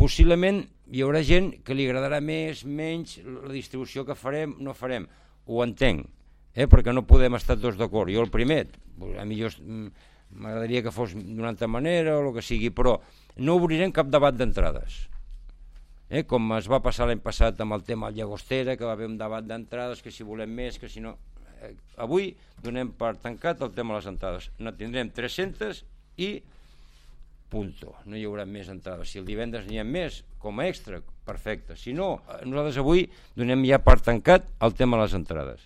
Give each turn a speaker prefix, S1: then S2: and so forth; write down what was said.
S1: possiblement hi haurà gent que li agradarà més, menys, la distribució que farem, no farem. Ho entenc, perquè no podem estar tots d'acord. Jo el primer, a mi m'agradaria que fos d'una altra manera o el que sigui, però no obrirem cap debat d'entrades. Com es va passar l'any passat amb el tema del Llagostera, que va haver un debat d'entrades, que si volem més, que si no... Avui donem per tancat el tema de les entrades. No tindrem 300 i punto. No hi haurà més entrades. Si el divendres n'hi ha més, com a extra, perfecte. Si no, nosaltres avui donem ja per tancat el tema de les entrades.